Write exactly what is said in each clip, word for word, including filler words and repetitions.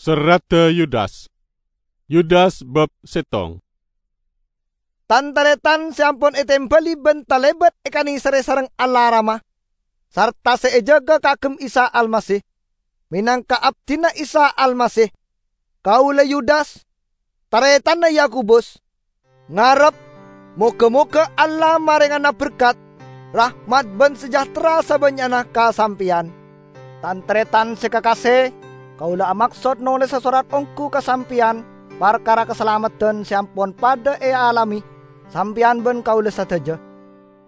Serradda Yudas. Yudas bab settong. Tan-taretan se ampon etembali ban talebat ekanèserre sareng Allah Rama, sarta se ejaga kaagem Isa Almasih, menangka abdina Isa Almasih, kaula Yudas, taretanna Yakobus, ngarep, moga-moga Allah marengana berkat, rahmat ban sejahtera sabannya'na ka sampeyan. Tan-taretan se kakase, kaula amaksod nolesa sorat onggu ka sampeyan parkara kasalameddhân se ampon padha ealame sampeyan ban kaula sadaja.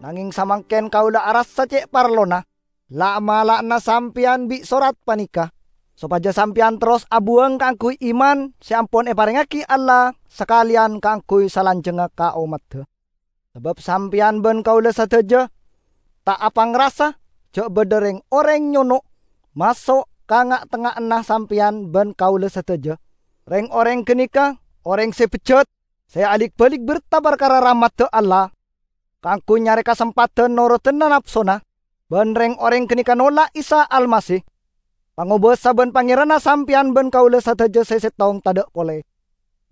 Nangeng samangken kaula arassa ce' parlona la'-mala'anna sampeyan bi' sorat paneka, sopaja sampeyan terros abuwang kaangguy iman se ampon eparengngagi Allah sakaleyan kaangguy salanjangnga ka ommadda. Sabab sampeyan ban kaula sadaja ta' apangrasa ja' badha reng-oreng nyono' maso' ka nga'-tengnga'anna sampeyan ban kaula sadaja. Reng-oreng ganeka oreng se bejjat, se alik-balik berta parkara rahmadda Allah, kaangguy nyare kasempadhan norodana napsona, ban reng-oreng ganeka nolak Isa Almasih, Pangobasa ban Pangeranna sampeyan ban kaula sadaja se settong tadha' pole.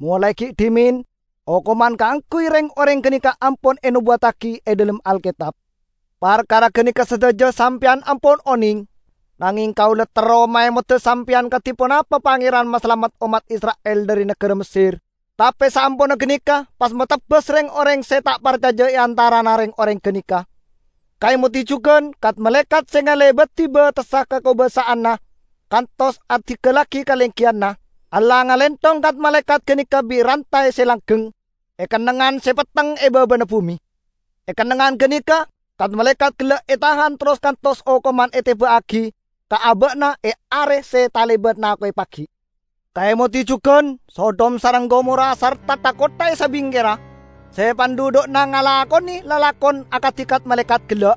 Molae gi' dhimen, okoman kaangguy reng-oreng ganeka ampon enobuwattagi e dhalem Alketab. Parkara ganeka sadaja sampeyan ampon oneng, nangeng kaula terro maemoda sampeyan kadi ponapa Pangeran masalamet ommat Isra'il dhari nagara Messer. Tape saamponna ganeka pas matebbas reng-oreng se ta' parcaja e antarana reng-oreng ganeka. Kaemodi jugan, kat-malaekat se ngalebadi batessa kakobasa'anna kantos adinggallagi kalenggiyanna, Allah ngalentong kat-malaekat ganeka bi' rantae se langgeng, e kennengngan se petteng e babana bume. E kennengngan ganeka, kat-malaekat gella' etahan terros kantos okoman eteba'agi ka aba'na e are se talebat nako'e pagi'. Kaemodi jugan, Sodom sareng Gomora sarta tha-kottha e sabingkerra, se pandhudhu'na ngalakone lalakon akadi kat-malaekat gella'.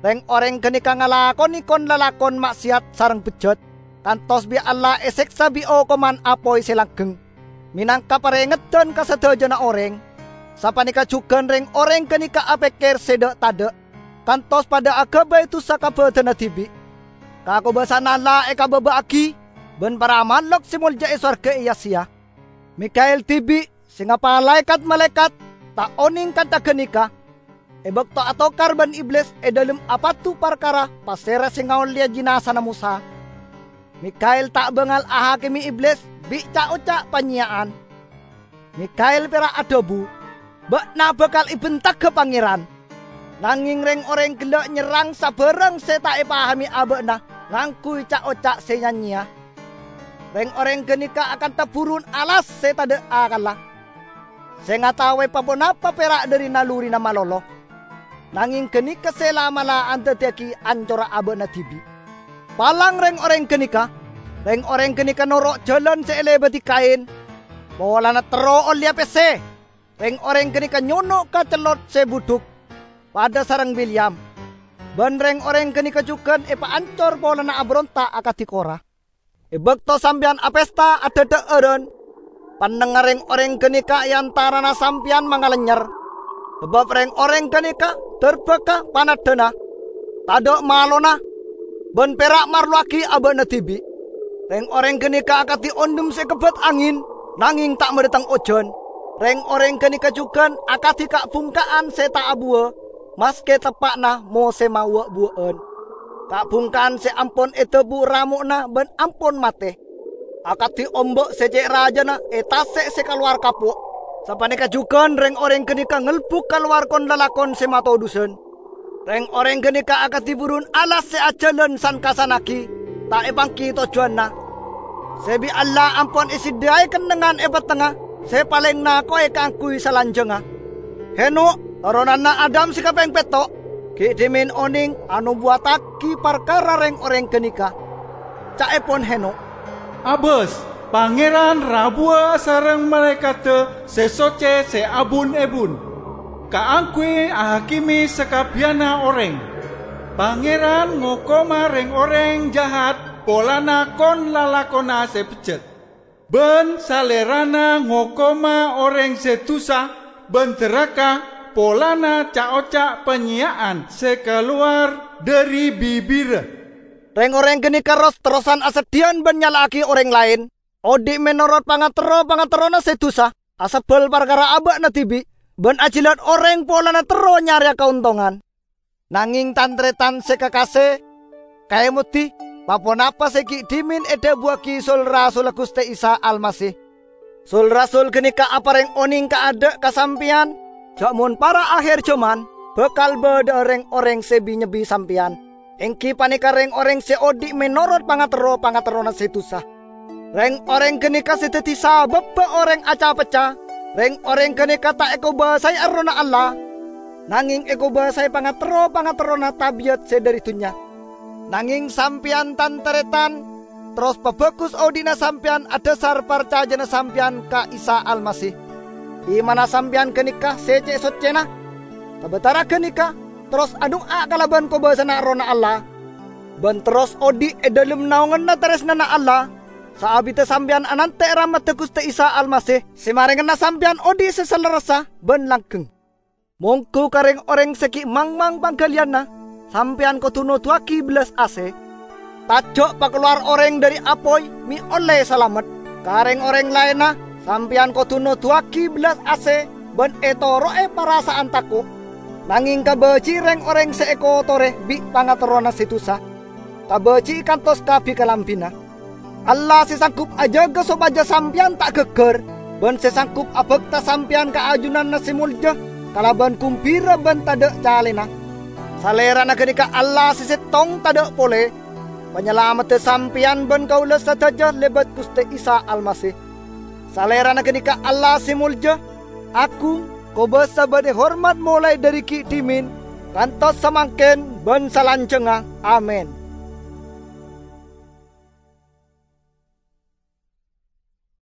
Reng-oreng ganeka ngalakone kon-lalakon ma'seyat sareng bejjat, kantos bi' Allah eseksa bi' okoman apoy se langgeng. Menangka parengeddan ka sadajana oreng, sapaneka jugan reng-oreng ganeka apekker se dha'-tadha', kantos padha agabay dusa ka badanna dibi'. Kakobasa'anna Allah ekababa'agi, ban para malok se molja e sowarga eya-seya. Mikael dibi', se ngapalae kat-malaekat, ta' oneng kantha ganeka. E bakto atokar ban Iblis e dhalem apadu parkara pasera se ngaolleya jinazana Mosa, Mikael ta' bangal ahakime Iblis bi' ca'-oca' panyeya'an. Mikael pera' adhabu, "Ba'na bakal ebentaga Pangeran." Nangeng reng-oreng gella' nyerrang sabarang se ta' epahame aba'na ngangguy ca'-oca' se ya-nyeya. Reng-oreng ganeka akantha burun alas se tadha' akalla, se ngataowe pa-ponapa pera' dhari nalurina malolo. Nangeng ganeka se la'-mala' andaddiyagi ancorra aba'na dibi'. Palang reng-oreng ganeka! Reng-oreng ganeka noro' jalan se elebadi Kain, polana terro olleya pesse. Reng-oreng ganeka nyono' ka cellot se budhuk, padha sareng Bileam. Ban reng-oreng ganeka jugan epaancor polana aberonta' akadi Kora. E bakto sampeyan apesta adhadha'aran, pannengnga reng-oreng ganeka e antarana sampeyan mangalennyer, sabab reng-oreng ganeka darbaka panaddhana, tadha' malona, ban pera' marlowagi aba'na dibi'. Reng-oreng ganeka akadi ondhem se kebbet angin, nangeng ta' madhateng ojan. Reng-oreng ganeka jugan akadi ka'-bungka'an se ta' abuwa, maske teppa'na mosema wa'-buwa'an. Ka'-bungka'an se ampon edabu ramo'na ban ampon mate. Akadi omba' se ce' rajana e tase' se kalowar kapo', sapaneka jugan reng-oreng ganeka ngelbuk kalowar kon-lalakon se matodhusan. Reng-oreng ganeka akadi burun alas se ajalan san-kassannagi, ta' epanggi tojjuwanna. Se bi' Allah ampon esadhiya'e kennengngan e pettengnga se paleng nako'e kaangguy salanjangnga. Henokh, toronanna Adam se kapeng petto', gi' dhimen oneng anobuwattagi parkara reng-oreng ganeka. Ca'epon Henokh, "Abas, Pangeran rabuwa sareng malaekadda se socce se abun-ebun, kaangguy ahakime sakabbiyanna oreng. Pangeran ngokoma reng-oreng jahat polana kon-lalakonna se bejjat, ban Salerana ngokoma oreng se dusa ban daraka polana ca'-oca' panyeya'an se kalowar dhari bibirra." Reng-oreng ganeka ros-terrosan aseddhiyan ban nyala'agi oreng laen, odhi' menorot pangaterro-pangaterrona se dusa, asebbal parkara aba'na dibi', ban ajilat oreng polana terro nyareya kaontongan. Nangeng tan-taretan se kakase, kaemodi, pa-ponapa se gi' dhimen edhabuwagi sul-rasulla Guste Isa Almasih. Sul-rasul ganeka apareng oneng kaadha' ka sampeyan, ja' mon para' aher jaman, bakal badha'a reng-oreng se bi-nyebbi sampeyan, enggi paneka reng-oreng se odhi' menorot pangaterro-pangaterrona se dusa. Reng-oreng ganeka se daddi sababba oreng aca-pecca. Reng-oreng ganeka ta' ekobasae Errohna Allah, nangeng ekobasae pangaterro-pangaterrona tabiat se dhari dunnya. Nangeng sampeyan, tan-taretan, terros pabagus odhi'na sampeyan adhasar parcajana sampeyan ka Isa Almasih. Imanna sampeyan ganeka se ce' soccena. Sabatara ganeka, terros adu'a kalaban kobasana Errohna Allah, ban terros odhi' e dhalem naonganna taresnana Allah. Saabidda sampeyan anante' rahmadda Guste Isa Almasih se marengana sampeyan odhi' se salerressa ban langgeng. Mongghu ka reng-oreng se gi' mangmang panggaliyanna, sampeyan kodu noduwagi bellas ase. Taja' pakalowar oreng dhari apoy me' olle salamet. Ka reng-oreng laenna, sampeyan kodu noduwagi bellas ase ban etoro'e parasa'an tako'. Nangeng kabaji'i reng-oreng se ekotore bi' pangaterrona se dusa. Kabaji'i kantos kabi kalambina. Allah se sanggup ajaga sopaja sampeyan ta' gaggar, ban se sanggup abakta sampeyan ka ajunanna se molja kalaban gumbira ban tadha' calena. Salerana ganeka Allah se settong tadha' pole. Panyalamadda sampeyan ban kaula sadaja lebat Guste Isa Almasih. Salerana ganeka Allah se molja, agung, kobasa ban ehormat molae dhari gi' dhimen kantos samangken ban salanjangnga. Amin.